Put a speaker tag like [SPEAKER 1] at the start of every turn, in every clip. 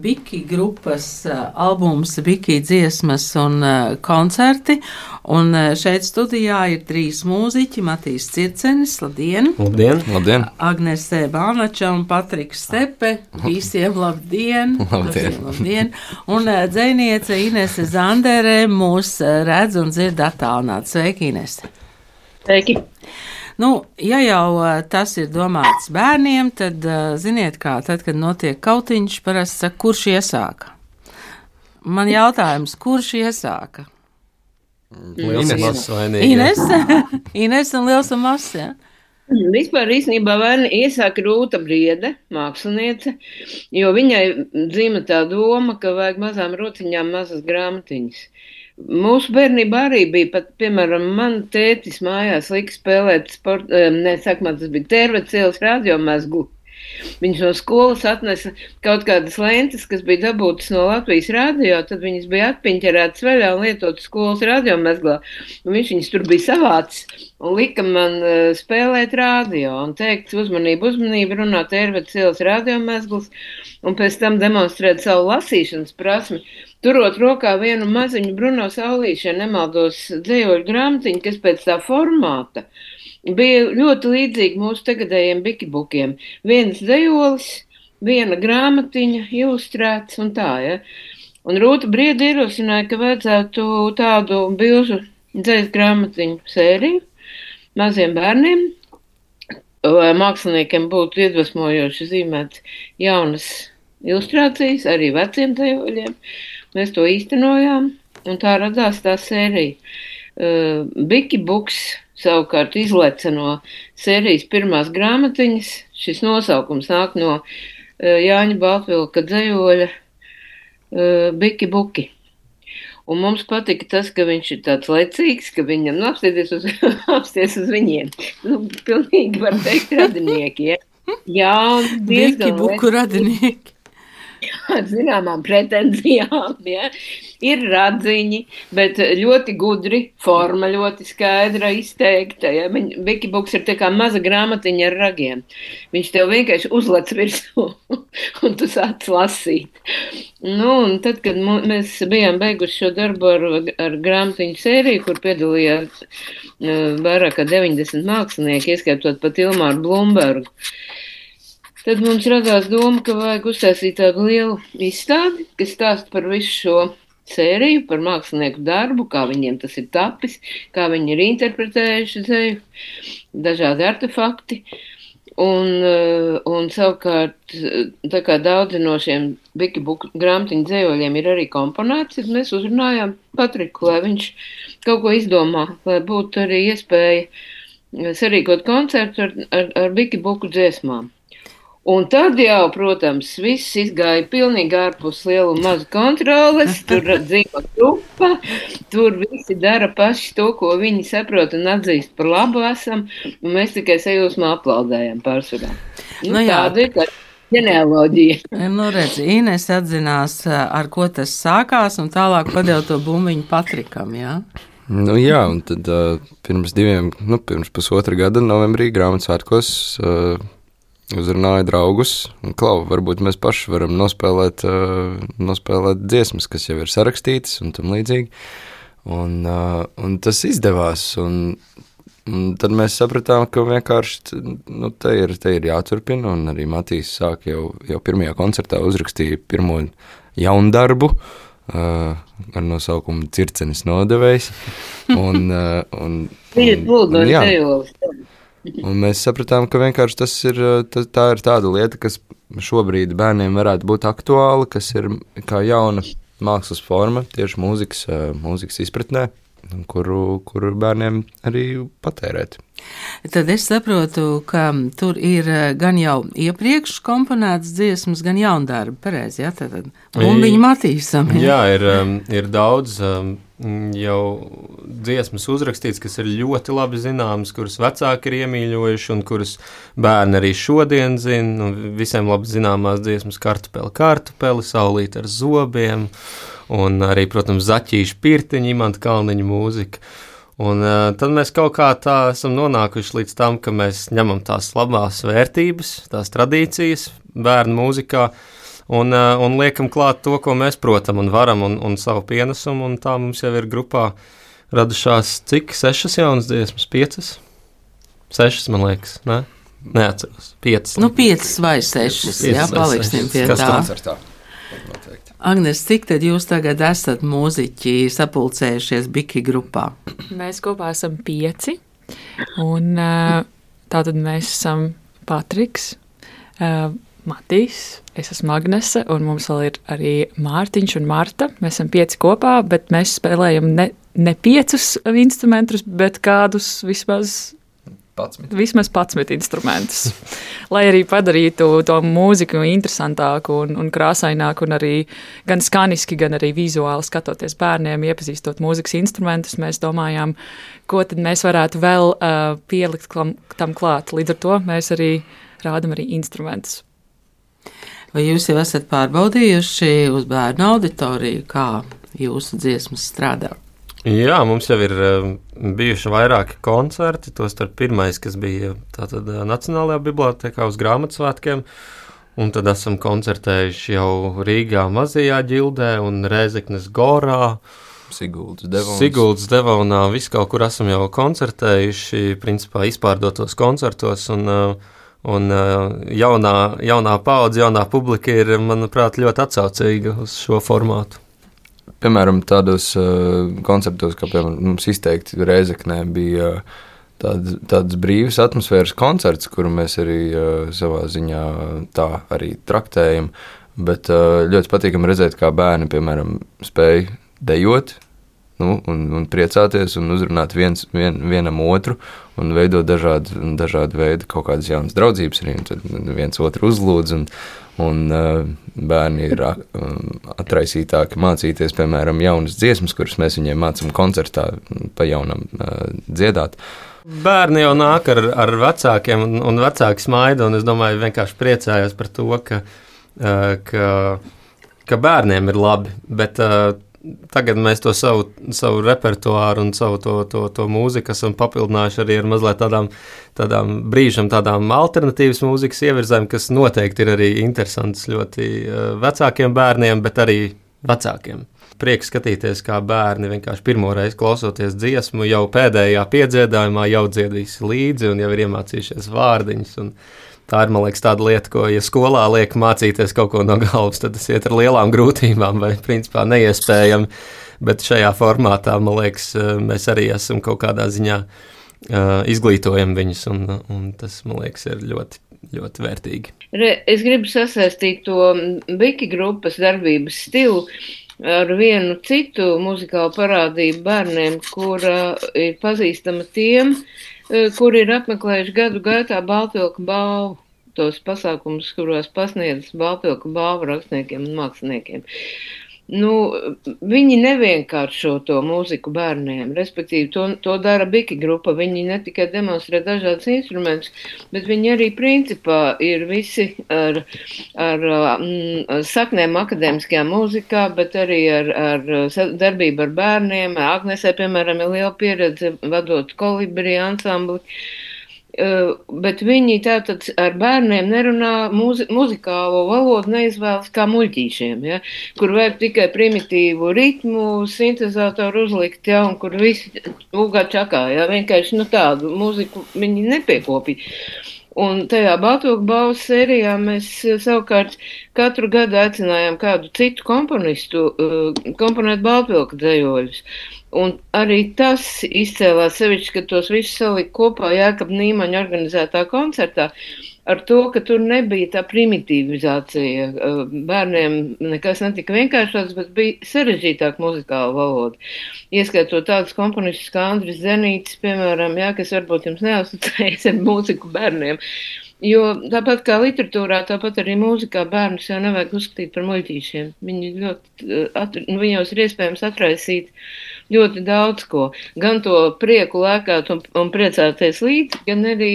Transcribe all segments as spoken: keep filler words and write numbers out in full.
[SPEAKER 1] Biki grupas albums, Biki dziesmas un koncerti. Un šeit studijā ir trīs mūziķi, Matīs Circenis, labdien!
[SPEAKER 2] Labdien!
[SPEAKER 3] Labdien!
[SPEAKER 1] Agnese Bānača un Patriks Stepe, visiem labdien!
[SPEAKER 3] Labdien!
[SPEAKER 1] labdien. Un dzejniece Inese Zandere mūs redz un dzird attālināt. Sveiki, Inese!
[SPEAKER 4] Sveiki!
[SPEAKER 1] Nu, ja jau tas ir domāts bērniem, tad ziniet kā, tad, kad notiek kautiņš, parasti saka, kurš iesāka? Man jautājums, kurš iesāka?
[SPEAKER 2] Liels un mazs vainīgi.
[SPEAKER 1] Ines, Ines un liels un mazs, jā. Ja?
[SPEAKER 4] Vispār īstenībā vaina iesāka Rūta Briede, māksliniece, jo viņai dzīva tā doma, ka vajag mazām rociņām mazas grāmatiņas. Mūsu bērnībā arī bija pat, piemēram, man tētis mājās lika spēlēt sport, ne, sākumā tas bija Tērvecielas radiomezglu. Viņš no skolas atnesa kaut kādas lentes, kas bija dabūtas no Latvijas radio, tad viņas bija atpiņķerētas vaļā un lietotas skolas radiomezglā. Un viņš viņas tur bija savācis un lika man uh, spēlēt radio un teikt uzmanību, uzmanību, runāt Tērvecielas radiomezglas un pēc tam demonstrēt savu lasīšanas prasmi. Turot rokā vienu maziņu Bruno Saulīšu, ja nemaldos dzējoļu grāmatiņu, kas pēc tā formāta bija ļoti līdzīgi mūsu tagadējiem bikibukiem. Viens dzējolis, viena grāmatiņa, ilustrēts un tā, ja. Un Rūta Briede ierosināja, ka vajadzētu tādu bilžu dzējas grāmatiņu sēriju maziem bērniem, lai māksliniekiem būtu iedvesmojoši zīmēt jaunas ilustrācijas, arī veciem dzējoļiem. Mēs to īstenojām, un tā radās tā sērija. Uh, Biki Buks savukārt izleca no sērijas pirmās grāmatiņas. Šis nosaukums nāk no uh, Jāņa Baltvilka dzējoļa uh, Biki Buki. Un mums patika tas, ka viņš ir tāds lecīgs, ka viņam nu, apsties uz, apsties uz viņiem. Nu, pilnīgi var teikt radinieki, ja? Jā, un diezgan
[SPEAKER 1] Biki Buku radinieki.
[SPEAKER 4] Ar zināmām pretenzijām, ja? Ir radziņi, bet ļoti gudri, forma ļoti skaidra, izteikta. Ja? Biki Buks ir tā kā maza grāmatiņa ar ragiem. Viņš tev vienkārši uzlec virsū un tu sāc lasīt. Nu, un tad, kad mēs bijām beiguši šo darbu ar, ar grāmatiņu sēriju, kur piedalījās uh, vairāk kā deviņdesmit mākslinieki, ieskaitot pat Ilmāru Blumbergu, tad mums radās doma, ka vajag uztaisīt tādu lielu izstādi, kas stāsta par visu šo sēriju, par mākslinieku darbu, kā viņiem tas ir tapis, kā viņi ir interpretējuši dzeju, dažādi artefakti. Un, un savukārt, tā kā daudzi no šiem Biki Buku grāmatiņu dzējoļiem ir arī komponēts, tad mēs uzrunājām Patriku, lai viņš kaut ko izdomā, lai būtu arī iespēja sarīkot koncertu ar, ar, ar Biki Buku dziesmām. Un tad jau, protams, viss izgāja pilnīgi ārpus lielu un mazu kontroles, tur dzīvo grupa, tur visi dara paši to, ko viņi saprot un atzīst par labu esam, un mēs tikai sajūsmā aplaudējam pārsvarā. Nu, nu, tāda ir tā ģenealoģija.
[SPEAKER 1] Nu, redz, Ines atzinās, ar ko tas sākās, un tālāk padeva to bumbiņu Patrikam, jā?
[SPEAKER 3] Nu jā, un tad uh, pirms diviem, nu, pirms pusotra gada novembrī Grāmatsvētkos uh, uzrunāja draugus, un klau, varbūt mēs paši varam nospēlēt, uh, nospēlēt dziesmas, kas jau ir sarakstītas un tam līdzīgi. Un, uh, un tas izdevās, un, un tad mēs sapratām, ka vienkārši nu, te, ir, te ir jāturpina, un arī Matīs sāk jau, jau pirmajā koncertā uzrakstīja pirmo jaunu darbu, uh, ar nosaukumu Circenis nodevējs. Un, uh, un, un, un, un, jā. Un mēs sapratām, ka vienkārši tas ir, tā, tā ir tāda lieta, kas šobrīd bērniem varētu būt aktuāla, kas ir kā jauna mākslas forma, tieši mūzikas, mūzikas izpratnē, kuru, kuru bērniem arī patērēt.
[SPEAKER 1] Tad es saprotu, ka tur ir gan jau iepriekš komponētas dziesmas, gan jaundarbi, pareizi, jā, tad bumbiņu Matīsam. Jā,
[SPEAKER 2] jā ir, ir daudz jau dziesmas uzrakstīts, kas ir ļoti labi zināmas, kuras vecāki ir iemīļojuši un kuras bērni arī šodien zina. Visiem labi zināmās dziesmas Kartupeli, kartupeli, Saulīte ar zobiem un arī, protams, Zaķīša pirtiņa, Imanta Kalniņa mūzika. Un uh, tad mēs kaut kā tā esam nonākuši līdz tam, ka mēs ņemam tās labās vērtības, tās tradīcijas bērnu mūzikā un, un liekam klāt to, ko mēs protam un varam, un, un savu pienesumu, un tā mums jau ir grupā radušās cik sešas jaunas dziesmas, piecas? Sešas, man liekas, ne? Neatceros, piecas.
[SPEAKER 1] Nu, piecas vai sešas, jā, paliksim pie
[SPEAKER 2] Kas
[SPEAKER 1] tā.
[SPEAKER 3] Koncertā. Noteikti.
[SPEAKER 1] Agnes, cik tad jūs tagad esat mūziķi sapulcējušies Biki grupā?
[SPEAKER 5] Mēs kopā esam pieci, un tātad mēs esam Patriks, Matīs, es esmu Agnese, un mums vēl ir arī Mārtiņš un Marta. Mēs esam pieci kopā, bet mēs spēlējam ne, ne piecus instrumentus, bet kādus vismaz
[SPEAKER 3] padsmit.
[SPEAKER 5] Vismaz padsmit instrumentus, lai arī padarītu to mūziku interesantāku un, un krāsaināku, un arī gan skaniski, gan arī vizuāli skatoties bērniem, iepazīstot mūzikas instrumentus, mēs domājām, ko tad mēs varētu vēl uh, pielikt klam, tam klāt. Līdz ar to mēs arī rādam arī instrumentus.
[SPEAKER 1] Vai jūs jau esat pārbaudījuši uz bērnu auditoriju, kā jūsu dziesmas strādā?
[SPEAKER 2] Jā, mums jau ir um, bijuši vairāki koncerti, tostarp pirmais, kas bija tātad Nacionālajā bibliotēkā uz grāmatsvētkiem, un tad esam koncertējuši jau Rīgā Mazajā ģildē un Rēzeknes Gorā,
[SPEAKER 3] Siguldas Devons.
[SPEAKER 2] Siguldas Devonā, visu kaut kur esam jau koncertējuši, principā izpārdotos koncertos, un, un jaunā, jaunā paudze, jaunā publika ir, manuprāt, ļoti atsaucīga uz šo formātu.
[SPEAKER 3] Piemēram, tādos uh, konceptos, kā piemēram mums izteikti Rēzeknē bija uh, tād, tāds brīvs atmosfēras koncerts, kuru mēs arī uh, savā ziņā tā arī traktējam, bet uh, ļoti patīkami redzēt, kā bērni, piemēram, spēj dejot, nu, un, un priecāties un uzrunāt viens, vien, vienam otru un veidot dažādu, dažādu veidu kaut kādas jaunas draudzības arī, un tad viens otru uzlūdz, un Un uh, bērni ir uh, atraisītāki mācīties, piemēram, jaunas dziesmas, kuras mēs viņiem mācām koncertā pa jaunam uh, dziedāt.
[SPEAKER 2] Bērni jau nāk ar, ar vecākiem, un, un vecāki smaida, un es domāju, vienkārši priecājos par to, ka, uh, ka, ka bērniem ir labi, bet uh, tagad mēs to savu, savu repertuāru un savu to, to, to mūziku esam papildinājuši arī ar mazliet tādām, tādām brīžam, tādām alternatīvas mūzikas ievirzēm, kas noteikti ir arī interesants ļoti vecākiem bērniem, bet arī vecākiem. Prieks skatīties, kā bērni vienkārši pirmoreiz klausoties dziesmu, jau pēdējā piedziedājumā jau dziedīs līdzi un jau ir iemācījušies vārdiņus, un tā ir, man liekas, tāda lieta, ko, ja skolā liek mācīties kaut ko no galvas, tad tas iet ar lielām grūtībām vai, principā, neiespējami, bet šajā formātā, man liekas, mēs arī esam kaut kādā ziņā uh, izglītojam viņus, un, un tas, man liekas, ir ļoti, ļoti vērtīgi.
[SPEAKER 4] Es gribu sasaistīt to Biki grupas darbības stilu ar vienu citu muzikālu parādību bērniem, kura ir pazīstama tiem, kuri ir apmeklējuši gadu gaitā Baltvilka balvu, tos pasākumus, kuros pasniedz Baltvilka balvu rakstniekiem un māksliniekiem. Nu, viņi nevienkāršo to mūziku bērniem, respektīvi to, to dara Biki grupa, viņi ne tikai demonstrē dažādas instrumentus, bet viņi arī principā ir visi ar, ar, ar saknēm akadēmiskajā mūzikā, bet arī ar, ar darbību ar bērniem. Agnesē, piemēram, ir liela pieredze vadot kolibri ansambli. Uh, bet viņi tātad ar bērniem nerunā muzi- muzikālo valodu, neizvēlas kā muļķīšiem, ja, kur vajag tikai primitīvu ritmu, sintezātoru uzlikt, ja, un kur visi ugā čakā, ja, vienkārši, nu, tādu mūziku viņi nepiekopīja. Un tajā Baltvilka balvas sērijā mēs savukārt katru gadu aicinājām kādu citu komponistu uh, komponēt Baltvilka dzejoļus. Un arī tas izcēlās sevišķi, ka tos visus salika kopā Jākapa Nīmaņa organizētā koncertā ar to, ka tur nebija tā primitīvizācija. Bērniem nekas netika vienkāršots, bet bija sarežģītāk muzikāla valoda. Ieskaitot tādus komponistus kā Andris Zenītis, piemēram, jā, kas varbūt jums neasociējas ar mūziku bērniem. Jo tāpat kā literatūrā, tāpat arī mūzikā bērnus jau nevajag uzskatīt par muļķīšiem. Viņi ļoti, at, viņos ir iespējams atraisīt ļoti daudz ko. Gan to prieku lēkāt un, un priecāties līdzi, gan arī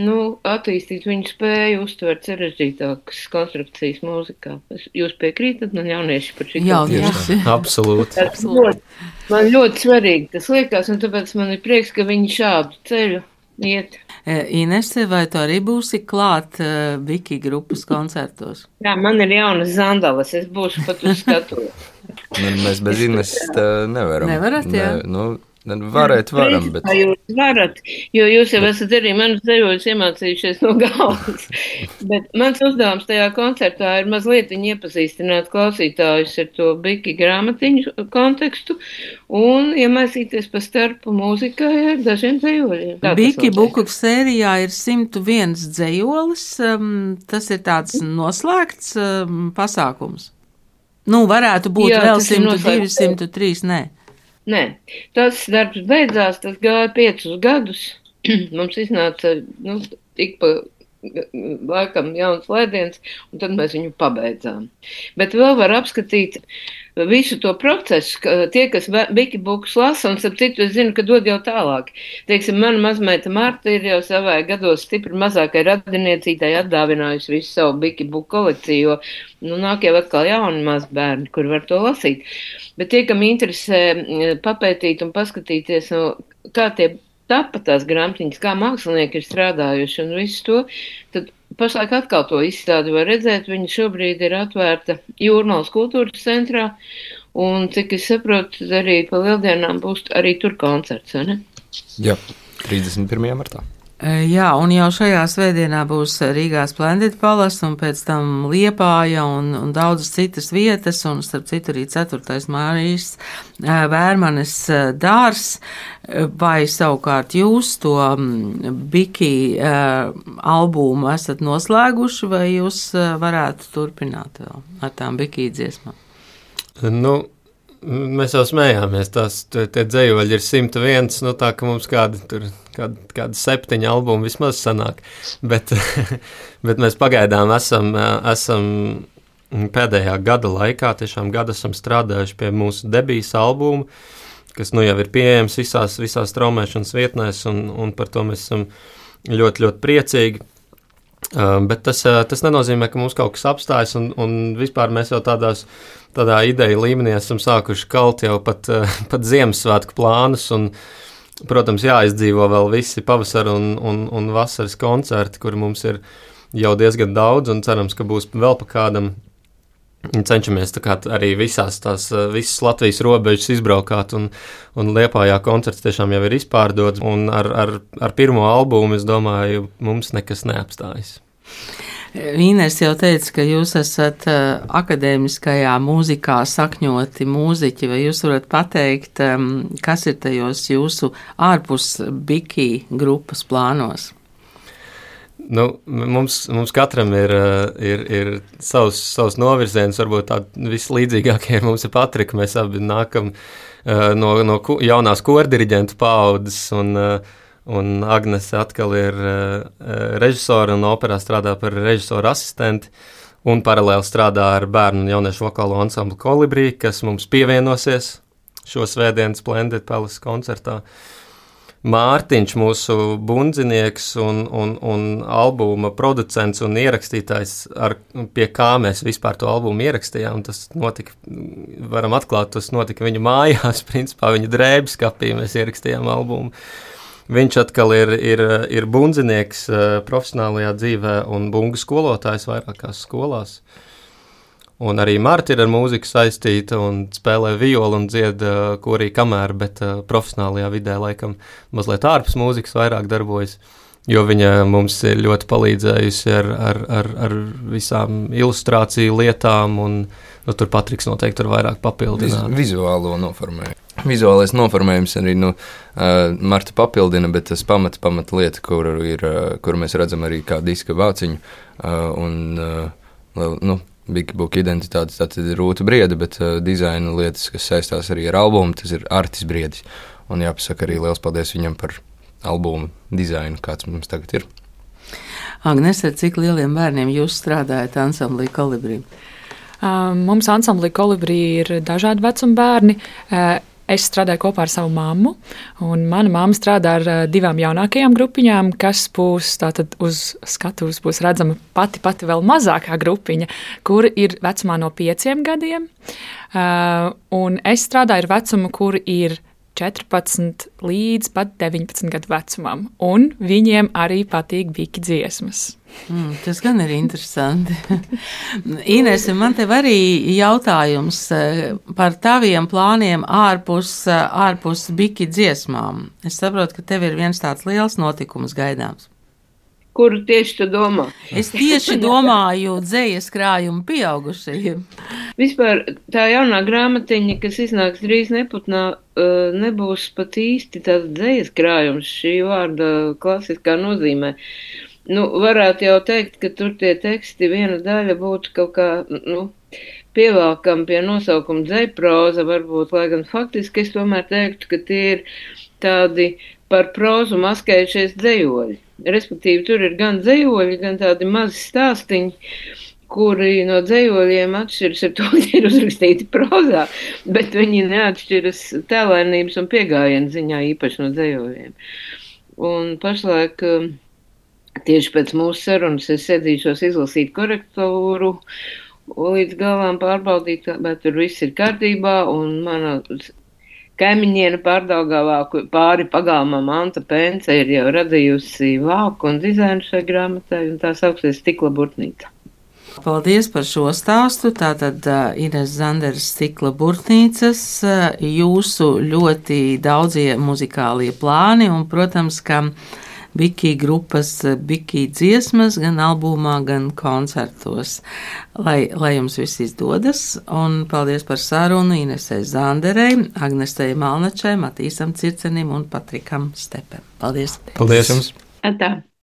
[SPEAKER 4] nu, attīstīt viņu spēju uztvert sarežģītākas konstrukcijas mūzikā. Jūs piekrītat man jaunieši par šī?
[SPEAKER 1] Jaunieši.
[SPEAKER 2] Absolūti.
[SPEAKER 4] Absolūti. Man ļoti svarīgi tas liekas, un tāpēc man ir prieks, ka viņi šādu ceļu iet.
[SPEAKER 1] Inese, vai tu arī būsi klāt uh, Biki grupas koncertos?
[SPEAKER 4] Jā, man ir jaunas zandalas, es būšu pat uz skatu.
[SPEAKER 3] Nu, mēs bez Ineses nevaram.
[SPEAKER 1] Nevarat, jā?
[SPEAKER 3] Ne, nu, varēt varam, bet...
[SPEAKER 4] Jūs varat, jo jūs jau esat arī manas dejoļus iemācījušies no galvas. Bet mans uzdevums tajā koncertā ir mazliet viņi iepazīstināt klausītājus ar to Biki grāmatiņu kontekstu un iemaisīties pa starpu mūzikai ar dažiem dejoļiem.
[SPEAKER 1] Biki buku sērijā ir simt viens dejolis, um, tas ir tāds noslēgts um, pasākums. Nu, varētu būt Jā, vēl simt divi, simt trīs, nē.
[SPEAKER 4] Nē, tas darbs beidzās, tas gāja piecus gadus. Mums iznāca, nu, tik pa laikam jauns lēdiens, un tad mēs viņu pabeidzām. Bet vēl var apskatīt visu to procesu, ka tie, kas Biki bukus lasa, un starp citu es zinu, ka dod jau tālāk. Teiksim, mana mazmeita Marta ir jau savai gados stipri mazākai radiniecītai atdāvinājusi visu savu Biki buku kolekciju, jo, nu, nāk jau atkal jauni mazbērni, kur var to lasīt. Bet tie, kam interesē papētīt un paskatīties, nu, kā tie tapa tās grāmatiņas, kā mākslinieki ir strādājuši un visu to, tad pašlaik atkal to izstādi var redzēt. Viņa šobrīd ir atvērta Jūrmalas kultūras centrā, un, cik es saprotu, arī pa lieldienām būs arī tur koncerts, vai ne?
[SPEAKER 3] Jā, trīsdesmit pirmajā martā.
[SPEAKER 1] Jā, un jau šajā svētdienā būs Rīgā Splendid Palace, un pēc tam Liepāja un, un daudzas citas vietas, un starp citu arī ceturtais Mārijas Vērmanes dārs, vai savukārt jūs to Biki albumu esat noslēguši, vai jūs varētu turpināt vēl ar tām Biki dziesmām?
[SPEAKER 2] Nu, mēs jau smējāmies, tās tie dzējoļi ir simt viens, nu tā, ka mums kādi tur kāda, kāda septiņa albuma vismaz sanāk, bet, bet mēs pagaidām esam, esam pēdējā gada laikā, tiešām gadu esam strādājuši pie mūsu debijas albuma, kas nu jau ir pieejams visās, visās traumēšanas vietnēs, un, un par to mēs esam ļoti, ļoti priecīgi. Uh, bet tas, uh, tas nenozīmē, ka mums kaut kas apstājas, un, un vispār mēs jau tādās, tādā ideja līmenī esam sākuši kalt jau pat, uh, pat Ziemassvētku plānus, un, protams, jāizdzīvo vēl visi pavasara un, un, un vasaras koncerti, kuri mums ir jau diezgan daudz, un cerams, ka būs vēl pa kādam. Cenšamies tā kā arī visās tās, visas Latvijas robežas izbraukāt, un, un Liepājā koncerts tiešām jau ir izpārdots, un ar, ar, ar pirmo albumu, es domāju, mums nekas neapstājas.
[SPEAKER 1] Ines jau teica, ka jūs esat uh, akadēmiskajā mūzikā sakņoti mūziķi, vai jūs varat pateikt, um, kas ir tajos jūsu ārpus Biki grupas plānos?
[SPEAKER 2] Nu, mums, mums katram ir, ir, ir savs, savs novirziens, varbūt tādi vislīdzīgākie mums ir Patrika, mēs abi nākam uh, no, no ku, jaunās kordiriģentu paaudzes, un, uh, un Agnese atkal ir uh, režisora un operā strādā par režisora asistenti, un paralēli strādā ar bērnu un jauniešu vokālo ansamblu Kolibrī, kas mums pievienosies šo svētdienu Splendid Palace koncertā. Mārtiņš, mūsu bundzinieks un, un, un albuma producents un ierakstītājs, ar, pie kā mēs vispār to albumu ierakstījām, tas notika, varam atklāt, tas notika viņa mājās, principā viņa drēbes kapī mēs ierakstījām albumu. Viņš atkal ir, ir, ir bundzinieks profesionālajā dzīvē un bungu skolotājs vairākās skolās. Un arī Marta ir ar mūziku saistīta un spēlē violu un dzied uh, korī kamēr, bet uh, profesionālajā vidē laikam mazliet ārpus mūzikas vairāk darbojas, jo viņa mums ir ļoti palīdzējusi ar, ar, ar, ar visām ilustrāciju lietām, un nu, tur Patriks noteikti tur vairāk papildināt.
[SPEAKER 3] Viz, vizuālo noformējumu. Vizuālais noformējums arī nu, uh, Marta papildina, bet tas pamat, pamat lieta, kur, ir, uh, kur mēs redzam arī kā diska vāciņu, uh, un uh, nu, Biki buku identitāte, tā tad ir Rūta Briede, bet uh, dizaina lietas, kas saistās arī ar albumu, tas ir Artis Briedis. Un jāpasaka arī liels paldies viņam par albumu dizainu, kāds mums tagad ir.
[SPEAKER 1] Agnes, ar cik lieliem bērniem jūs strādājat ansamblī Kolibrī?
[SPEAKER 5] Uh, mums ansamblī Kolibrī ir dažādi vecuma bērni. Uh, Es strādāju kopā ar savu mammu, un mana mamma strādā ar divām jaunākajām grupiņām, kas būs tātad uz skatuves būs redzama pati, pati vēl mazākā grupiņa, kur ir vecumā no pieciem gadiem, uh, un es strādāju ar vecumu, kur ir četrpadsmit līdz pat deviņpadsmit gadu vecumam, un viņiem arī patīk biki dziesmas.
[SPEAKER 1] Mm, tas gan ir interesanti. Ines, man tev arī jautājums par taviem plāniem ārpus, ārpus biki dziesmām. Es saprotu, ka tev ir viens tāds liels notikums gaidāms.
[SPEAKER 4] Kuru tieši tu domā?
[SPEAKER 1] Es tieši domāju dzējas krājumu pieaugušajiem.
[SPEAKER 4] Vispār tā jaunā grāmatiņa, kas iznāks drīz Neputnā, nebūs pat īsti tāds dzējas krājums šī vārda klasiskā nozīmē. Nu, varētu jau teikt, ka tur tie teksti viena daļa būtu kaut kā, nu, pievelkam pie nosaukuma dzejproza, varbūt, lai gan faktiski es tomēr teiktu, ka tie ir tādi par prozu maskējušies dzejoļi. Respektīvi, tur ir gan dzejoļi, gan tādi mazi stāstiņi, kuri no dzejoļiem atšķiras ar to, ka ir uzrakstīti prozā, bet viņi neatšķiras tēlēnības un piegājienu ziņā īpaši no dzejoļiem. Un pašlaik tieši pēc mūsu sarunas es sēdīšos izlasīt korektūru, līdz galām pārbaudīt, bet tur viss ir kārtībā, un mana kaimiņiene Pārdaugavā pāri pagalmam Anta Pence ir jau radījusi vāku un dizainu šai grāmatai, un tā sauksies Stikla burtnīca.
[SPEAKER 1] Paldies par šo stāstu. Tātad uh, Ines Zanderes Stikla burtnīcas, uh, jūsu ļoti daudzie muzikālie plāni, un, protams, ka Biki grupas Biki dziesmas gan albumā, gan koncertos. Lai, lai jums viss izdodas, un paldies par sarunu Inesei Zanderei, Agnestei Malnačai, Matīsam Circenim un Patrikam Stepem. Paldies!
[SPEAKER 2] Paldies jums!
[SPEAKER 4] Atā!